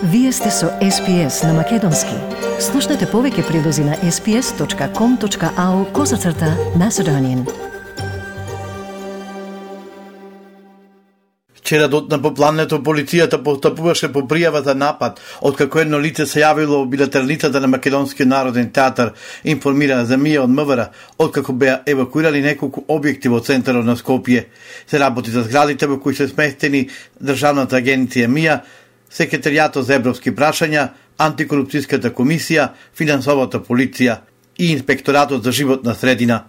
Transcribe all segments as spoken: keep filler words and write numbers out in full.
Вие сте со Ес Пи Ес на Македонски. Слушнете повеќе прилози на ес пи ес точка ком точка ау козацрта Macedonian. Вчера дотна по плането полицијата постапуваше по пријава за напад, откако едно лице се јавило во билатералицата на Македонскиот народен театар, информира за Мија од М В Р, откако беа евакуирали неколку објекти во центарот на Скопје. Се работи за зградите во кои се сместени Државната агенција Мија, Секретаријатот за европски прашања, Антикорупцијската комисија, Финансовата полиција и Инспекторатот за животна средина.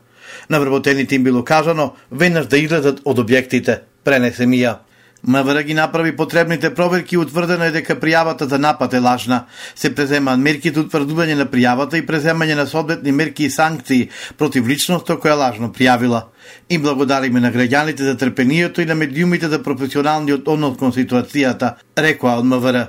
На вработените им било кажано веднаш да излезат од објектите, пренесе Мија. М В Р ги направи потребните проверки и утврдено е дека пријавата за напад е лажна. Се преземаат мерки за утврдување на пријавата и преземање на соодветни мерки и санкции против личноста која лажно пријавила. И благодариме на граѓаните за трпението и на медиумите за професионалниот однос кон ситуацијата, рекоа од М В Р.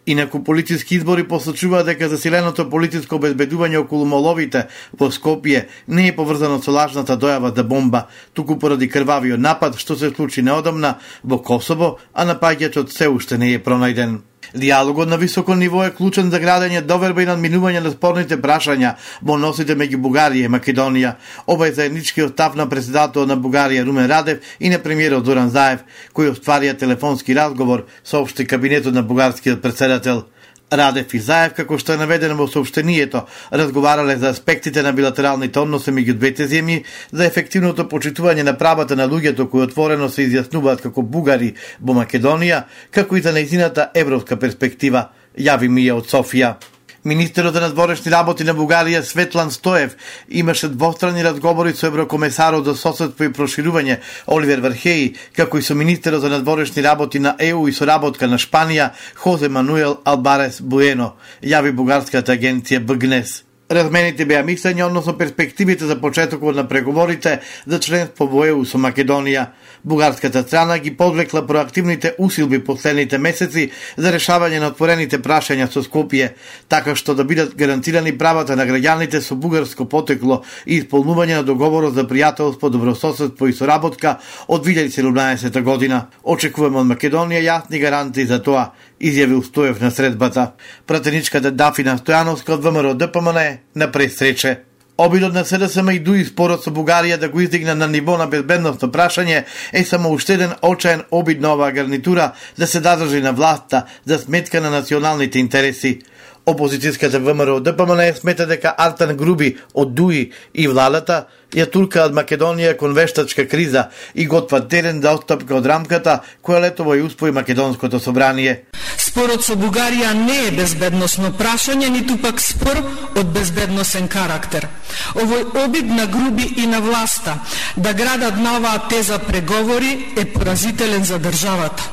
Инаку полициски избори посочуваат дека засиленото полициско обезбедување околу моловите во Скопје не е поврзано со лажната дојава за бомба, туку поради крвавиот напад што се случи неодамна во Косово, а напаѓачот се уште не е пронајден. Диалогот на високо ниво е клучен за градење доверба и надминување на спорните прашања во односите меѓу Бугарија и Македонија. Ова е заедничкиот став на претседателот на Бугарија Румен Радев и на премиерот Зоран Заев, кои остварија телефонски разговор, соопшти кабинетот на бугарскиот претседател. Радев и Заев, како што е наведено во соопштението, разговарале за аспектите на билатералните односи меѓу двете земји, за ефективното почитување на правата на луѓето кои отворено се изјаснуваат како бугари во Македонија, како и за нејзината европска перспектива, јави Мија од Софија. Министерот за надворешни работи на Бугарија Светлан Стоев имаше двострани разговори со еврокомесарот за соседство и проширување Оливер Вархеи, како и со министерот за надворешни работи на Е У и соработка на Шпанија Хозе Мануел Албарес Буено, јави бугарската агенција Б Г Н Е С. Размените беа мислења односно перспективите за почетокот на преговорите за членство во Е У со Македонија. Бугарската страна ги подвлекла проактивните усилби последните месеци за решавање на отворените прашања со Скопје, така што да бидат гарантирани правата на граѓаните со бугарско потекло и исполнување на договорот за пријателство, добрососедство и соработка од две илјади и седумнаесета година. Очекуваме од Македонија јасни гарантии за тоа, изјавил Стоев на средбата. Пратеничката Дафина Стојановска од Вэ М Р Д П М Н на пресрече. Обидот на С Д С М и дуи спорот со Бугарија да го издигне на ниво на безбедносно прашање е само уште еден очаен обид на оваа гарнитура да се задржи на власта за сметка на националните интереси. Опозицијската Вэ М Р Д П М Н смета дека Артан Груби од Дуи и владата ја туркаат Македонија кон вештачка криза и готват терен за отстапка од рамката која летово ја успои Македонското собрание. Спорот со Бугарија не е безбедносно прашање, ниту пак спор од безбедносен карактер. Овој обид на Груби и на власта да градат на оваа теза преговори е поразителен за државата.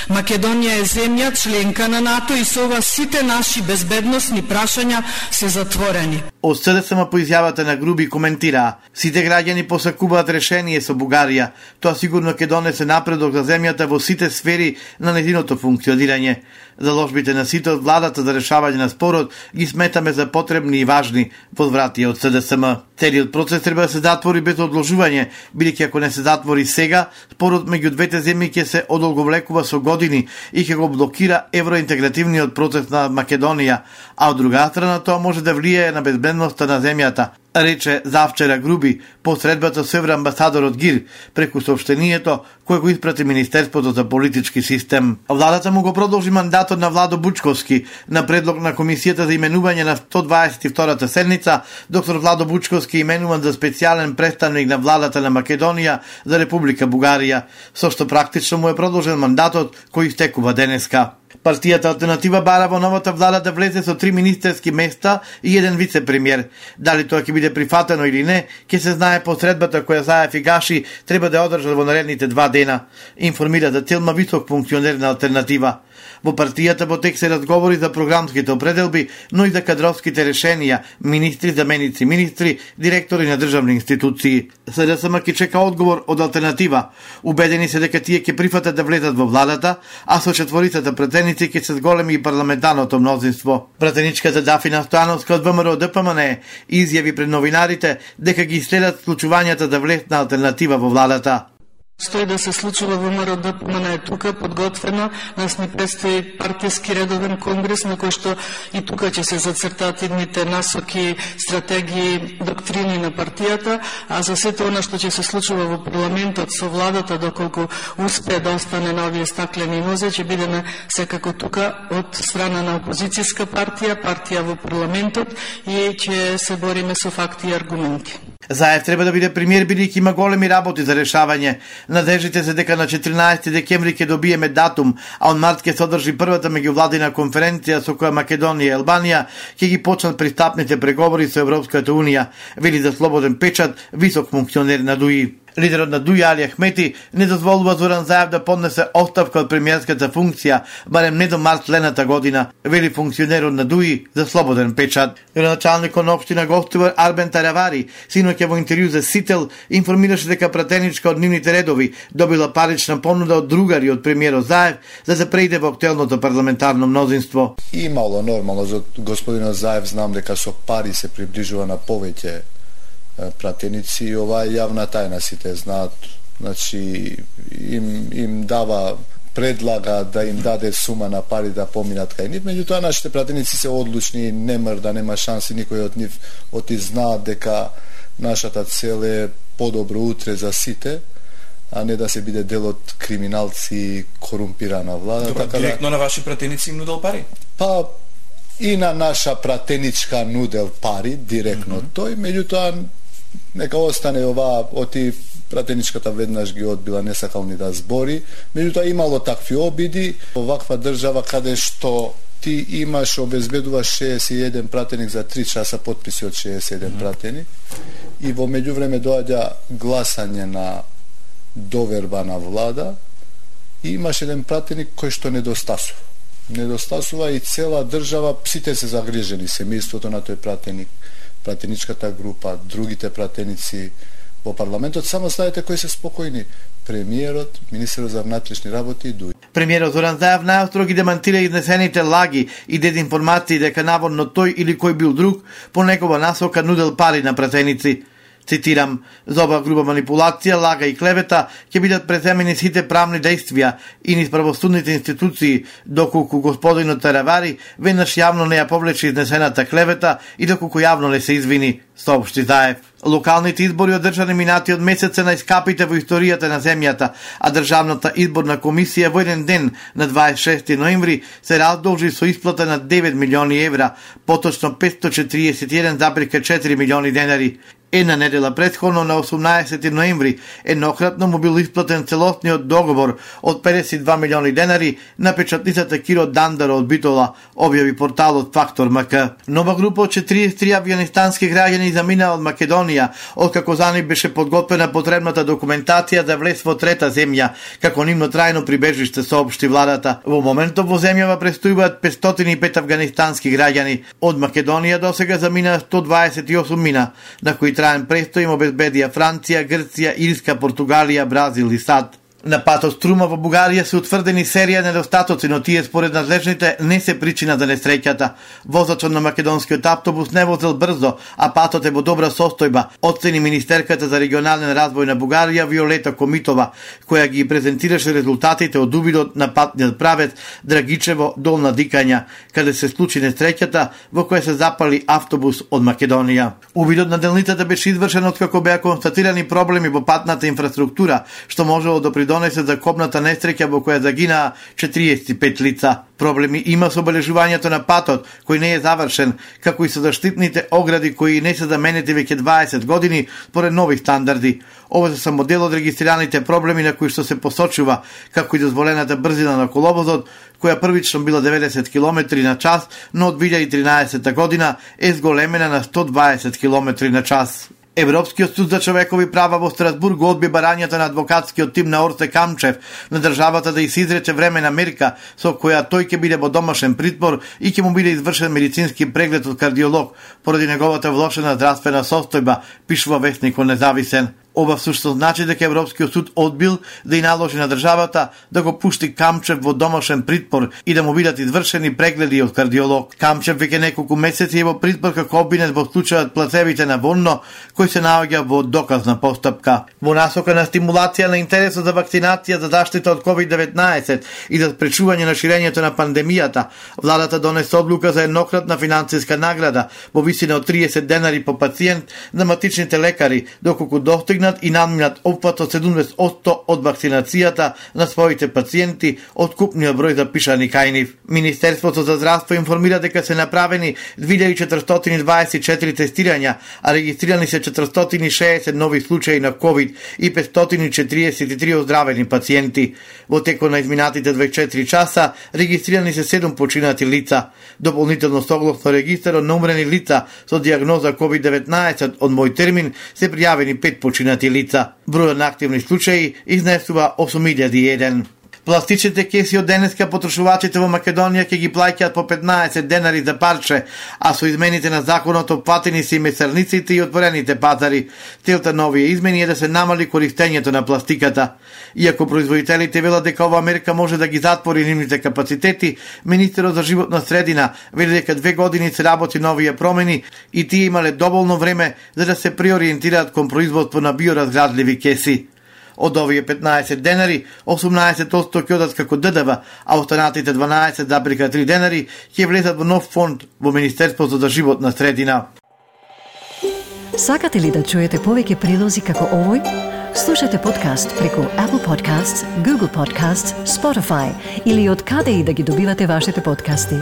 Македонија е земја членка на НАТО и со ова сите наши безбедносни прашања се затворени. Од С Д С М по изјавата на Груби коментираа: сите граѓани посакуваат решение со Бугарија. Тоа сигурно ќе донесе напредок за земјата во сите сфери на нејзиното функционирање. Заложбите на сите од владата за решавање на спорот ги сметаме за потребни и важни, возврати од С Д С М. Целиот процес треба да се затвори без одложување, бидејќи ако не се затвори сега, спорот меѓу двете земји ќе се одолговлекува со години и ќе го блокира евроинтегративниот процес на Македонија, а од друга страна тоа може да влијае на безбедноста на земјата, рече завчера Груби по средбата со евроамбасадорот Гир преку соопштението кое го испрати Министерството за политички систем. Владата му го продолжи мандатот на Владо Бучковски на предлог на Комисијата за именување на сто дваесет и втората седница. Доктор Владо Бучковски е именуван за специјален представник на владата на Македонија за Република Бугарија, со што практично му е продолжен мандатот кој истекува денеска. Партијата Алтернатива бара во новата влада да влезе со три министерски места и еден вице-премиер. Дали тоа ќе биде прифатено или не, ќе се знае по средбата која Заев и Гаши треба да одржат во наредните два дена, информира за Телма висок функционер на Алтернатива. Во партијата во тек се разговори за програмските определби, но и за кадровските решенија, министри, заменици министри, директори на државни институции. С Д С М ќе чека одговор од Алтернатива. Убедени се дека тие ќе прифатат да влезат во владата, а со четворицата претеници ќе се зголеми и парламентарното мнозинство. Пратеничката Дафина Стојановска од Вэ М Р Д П М Н изјави пред новинарите дека ги следат случувањата да влезат на Алтернатива во владата. Стои да се случува во МРОДПМН е тука, подготвено, нас ни предстои партијски редовен конгрес, на кој што и тука ќе се зацртаат идните насоки, стратегии, доктрини на партијата, а за сето она што ќе се случува во парламентот со владата, доколку успее да остане на овие стаклени нозе, ќе бидеме секако тука од страна на опозицијска партија, партија во парламентот и ќе се бориме со факти и аргументи. Заев треба да биде премиер, бидејќи има големи работи за решавање. Надежите се дека на четиринаесети декември ќе добиеме датум, а од март ќе се одржи првата меѓувладина конференција со која Македонија и Албанија ќе ги почнат пристапните преговори со Европската унија, вели за Слободен печат висок функционер на ДУИ. Лидерот на ДУИ Али Ахмети не дозволува Зоран Заев да поднесе оставка од премиерската функција, барем не до март следната година, вели функционерот на ДУИ за Слободен печат. Началникот на општина Гостивар Арбен Таравари синоќа во интервју за Сител информираше дека пратеничка од нивните редови добила парична понуда од другари од премиерот Заев за да преиде во актуелното парламентарно мнозинство. Имало нормално за господинот Заев, знам дека со пари се приближува на повеќе пратеници и ова е јавна тајна, сите знаат. Значи им им дава, предлага да им даде сума на пари да поминат кај нив, меѓутоа нашите пратеници се одлучни, не мрда, нема шанси, никој од нив од и знаат дека нашата цел е подобро утре за сите, а не да се биде дел од криминалци и корумпирана влада. Добро, така директно да, на ваши пратеници им нудел пари? Па и на наша пратеничка нудел пари, директно mm -hmm. тој, меѓутоа нека остане ова, оти пратеничката веднаш ги одбила, не сакал ни да збори, меѓутоа имало такви обиди, оваква држава каде што ти имаш, обезбедуваш шеесет и еден пратеник за три часа, потписи од шеесет и еден mm -hmm. пратеник, и во меѓувреме доаѓа гласање на доверба на влада, и имаш еден пратеник кој што недостасува. Недостасува и цела држава, сите се загрижени, семејството на тој пратеник, пратеничката група, другите пратеници во парламентот, само знаете кои се спокојни: премиерот, министерот за внатрешни работи и ДУИ. Премиерот Зоран Заев најостро ги демантира изнесените лаги и дезинформации дека наводно тој или кој бил друг по негова насока нудел пари на пратеници. Цитирам: за ова груба манипулација, лага и клевета ќе бидат преземени сите правни действија и низ правосудните институции, доколку господинот Таравари веднаш јавно не ја повлече изнесената клевета и доколку јавно не се извини, соопшти Заев. Локалните избори одржани минатиот месец се најскапите во историјата на земјата, а Државната изборна комисија во еден ден на дваесет и шести ноември се раздолжи со исплата на девет милиони евра, поточно петстотини четиридесет и еден зарез четири милиони денари. Една недела претходно, на осумнаесети ноември, еднократно му бил исплатен целосниот договор од педесет и два милиони денари на печатницата Киро Дандара од Битола, објави порталот Фактор МК. Нова група од четириесет и три авионистански граѓани замина од Македонија, откако за нив беше подготвена потребната документација за влез во трета земја, како нивно трајно прибежиште, соопшти владата. Во моментот во земјава престојуваат петстотини и пет авганистански граѓани. Од Македонија досега замина сто дваесет и осум мина, на кои траен престој им обезбедија Франција, Грција, Ирска, Португалија, Бразил и САД. На патот Струма во Бугарија се утврдени серија недостатоци, но тие според надлежните не се причина за несреќата. Возачот на македонскиот автобус не возел брзо, а патот е во добра состојба, оцени министерката за регионален развој на Бугарија Виолета Комитова, која ги презентираше резултатите од увидот на патниот правец Драгичево Долна Дикања, каде се случи несреќата во која се запали автобус од Македонија. Увидот на делницата беше извршен откако беа констатирани проблеми во патната инфраструктура, што можело да придонесе за копната несреќа во која загинаа четириесет и пет лица. Проблеми има со обележувањето на патот, кој не е завршен, како и со заштитните огради кои не се заменети веќе дваесет години според нови стандарди. Ова се само дел од регистрираните проблеми на кои што се посочува, како и дозволената брзина на коловозот, која првично била деветдесет километри на час, но од две илјади и тринаесета година е зголемена на сто дваесет километри на час. Европскиот суд за човекови права во Страсбург одби барањата на адвокатскиот тим на Орце Камчев на државата да изрече времена мерка со која тој ќе биде во домашен притвор и ќе му биде извршен медицински преглед од кардиолог поради неговата влошена здравствена состојба, пишува весникот Независен. Ова всушност значи дека Европскиот суд одбил да и наложи на државата да го пушти Камчев во домашен притвор и да му бидат извршени прегледи од кардиолог. Камчев веќе неколку месеци е во притвор како обвинет во случајот плацевите на Вонно, кој се наоѓа во доказна постапка. Во насока на стимулација на интересот за вакцинација за заштита од ковид деветнаесет и за спречување на ширењето на пандемијата, владата донесе одлука за еднократна финансиска награда во висина од триесет денари по пациент на матичните лекари, доколку достигнат и надминат опфат од седумдесет одсто од вакцинацијата на своите пациенти од купниот број запишани кај нив. Министерството за здравство информира дека се направени две илјади четиристотини и дваесет и четири тестирања, а регистрирани се четиристотини и шеесет нови случаи на ковид и петстотини и четириесет и три оздравени пациенти. Во текот на изминатите дваесет и четири часа регистрирани се седум починати лица. Дополнително согласно регистарот на умрени лица со дијагноза ковид деветнаесет од мој термин се пријавени пет починати лица. Бројот на активни случаи изнесува осум илјади и еден. Пластичните кеси од денеска потрошувачите во Македонија ќе ги плаќаат по петнаесет денари за парче, а со измените на законот опфатени се и месарниците и отворените пазари. Целта на овие измени е да се намали користењето на пластиката. Иако производителите велат дека ова мерка може да ги затвори нивните капацитети, министерот за животна средина вели дека две години се работи на овие промени и тие имале доволно време за да се преориентираат кон производство на биоразградливи кеси. Од овие петнаесет денари, осумнаесет одсто ќе одат како Д Д В, а останатите дванаесет зарез и три денари ќе влезат во нов фонд во Министерството за животна средина. Сакате ли да чуете повеќе прилози како овој? Слушате подкаст преку Apple Podcasts, Google Podcasts, Spotify или од каде и да ги добивате вашите подкасти.